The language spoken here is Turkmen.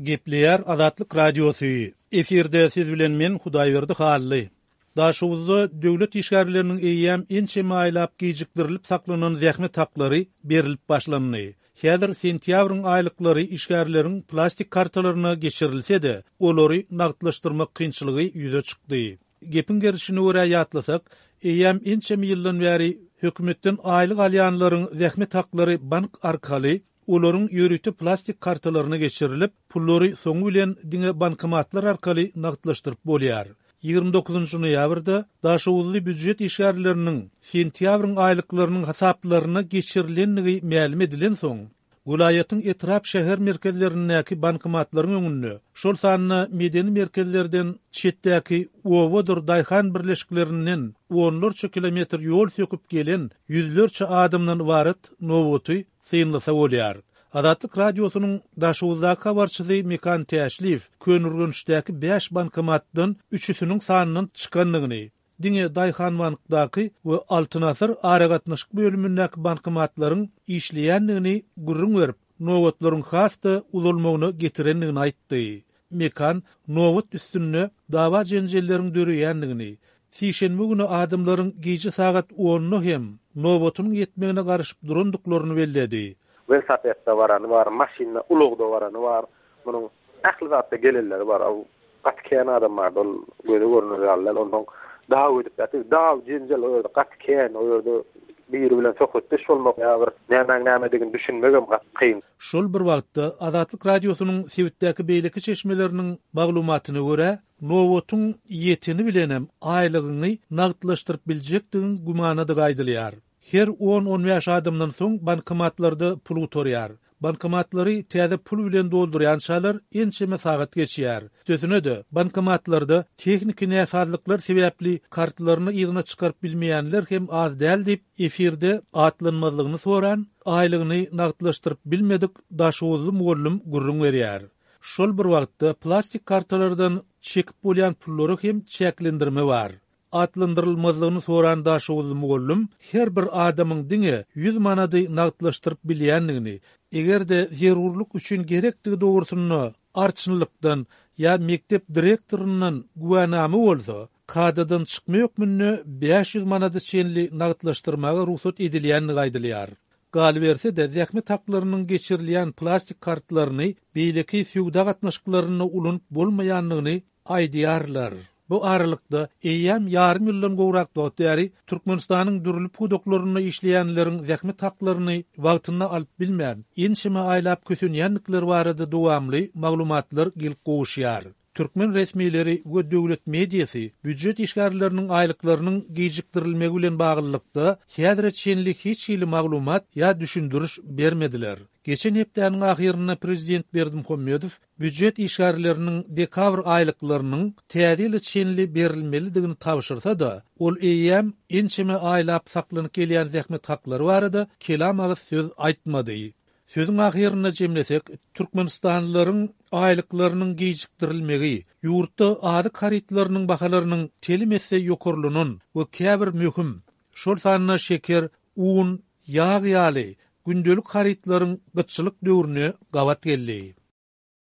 Gepleýär Azatlyk Radiosy. Efirde siz bilen men Hudaýberdi Hally. Daşoguzda döwlet işgärleriniň eýýäm ençeme aýlap gijikdirilip saklanan zähmet haklary berlip başlandy. Häzir sentýabryň aýlyklary işgärleriň plastik kartalaryna geçirilse-de, olary nagtlaşdyrmak kynçylygy ýüze çykdy. Gepiň gerişine görä ýatlasak, eýýäm ençeme ýyldan bäri hökümetden aýlyk alýanlaryň zähmet haklary bank arkaly olaryň ýörite plastik kartalaryna geçirilip, pullary soňy bilen diňe bankomatlar arkaly nagtlaşdyryp bolýar. 29 noýabrda daşoguzly býujet işgärleriniň sentýabryň aýlyklarynyň hasaplaryna geçirilendigi mälim edilensoň, welaýatyň etrap-şäher merkezlerindäki bankomatlaryň öňünde, şol sanda medeni merkezlerden çetdäki obadyr daýhan birleşiklerinden onlarça kilometr ýol söküp gelen ýüzlerçe adamdan ybarat nobaty synlasa bolýar. Azatlyk Radiosynyň Daşoguzdaky habarçysy Mekan Täşliýew Köneürgençdäki bäş bankomatdan üçüsiniň sandan çykandygyny, diňe Daýhanbankdaky we Altyn asyr aragatnaşyk bölümindäki bankomatlaryň işleýändigini gürrüň berip, nobatlaryň has-da uzalmagyna getirendigini aýtdy. Mekan nobat üstünde dawa-jenjelleriň döreýändigini, sişenbe güni adamlaryň gije sagat onda hem nobatynyň ýetmegine garaşyp durandyklaryny belledi. Welosipedde barany bar, maşynda, ulagda barany bar. Munuň ähli zatda gelenleri bar. Ol gaty kän adam bardy, ol göze görner ýaly däl. Onsoň daw edip ýatyr. Daw, jenjel o ýerde gaty kän. O ýerde biri bilen söhbetdeş bolmak ýa bir nämäň nämedigini düşünmegem gaty kyn. Şol bir wagtda, Azatlyk Radiosynyň sebitdäki beýleki çeşmeleriniň maglumatyna görä, nobatyň ýeteni bilenem aýlygyňy nagtlaşdyryp biljekdigiň gümanadygy aýdylýar. Her on-on bäş adamdan soň bankomatlarda pul gutarýar. Bankomatlary täze pul bilen doldurýançalar ençeme sagat geçýär. Üstesine-de, bankomatlarda tehniki näsazlyklar sebäpli kartlaryny yzyna çykaryp bilmeýänler hem az däl diýip, efirde atlanmazlygyny soran, aýlygyny nagtlaşdyryp bilmedik daşoguzly mugallym gürrüň berýär. Şol bir wagtda, plastik kartalardan çekip bolýan pullara hem çäklendirme bar. Atlandyrylmazlygyny soran daşoguzly mugallym her bir adamyň diňe 100 manady nagtlaşdyryp bilýändigini, eger-de zerurlyk üçin gerekdigi dogrusynda arçynlykdan ýa mekdep direktoryndan güwänama bolsa, kadadan çykma hökmünde 500 manada çenli nagtlaşdyrmaga rugsat edilýändigi aýdylýar. Galyberse-de, zähmet haklarynyň geçirilýän plastik kartlaryny beýleki söwda gatnaşyklarynda ulanyp bolmaýandygyny aýdýarlar. Bu aralykda, eýýäm ýarym ýyldan gowrak wagt bäri Türkmenistanyň dürli pudaklarynda işleýänleriň zähmet haklaryny wagtynda alyp bilmän, ençeme aýlap kösenýändikleri barada dowamly maglumatlar gelip gowuşýar. Türkmen resmileri we döwlet mediasy býujet işgärleriniň aýlyklarynyň gijikdirilmegi bilen baglylykda, häzire çenli hiç hili maglumat ýa düşündiriş bermediler. Geçen hepdäniň ahyrynda prezident Berdimuhamedow býujet işgärleriniň dekabr aýlyklarynyň Täze ýyla çenli berilmelidigini tabşyrsa-da, ol eýýäm ençeme aýlap saklanyp gelýän zähmet haklary barada kelam agyz söz aýtmady. Sözüň ahyrynda jemlesek, türkmenistanlylaryň aýlyklarynyň gijikdirilmegi, ýurtda azyk harytlarynyň bahalarynyň telim esse ýokarlanan we käbir möhüm, şol sanda şeker, un, ýag ýaly gündelik harytlaryň gytçylyk döwrüne gabat geldi.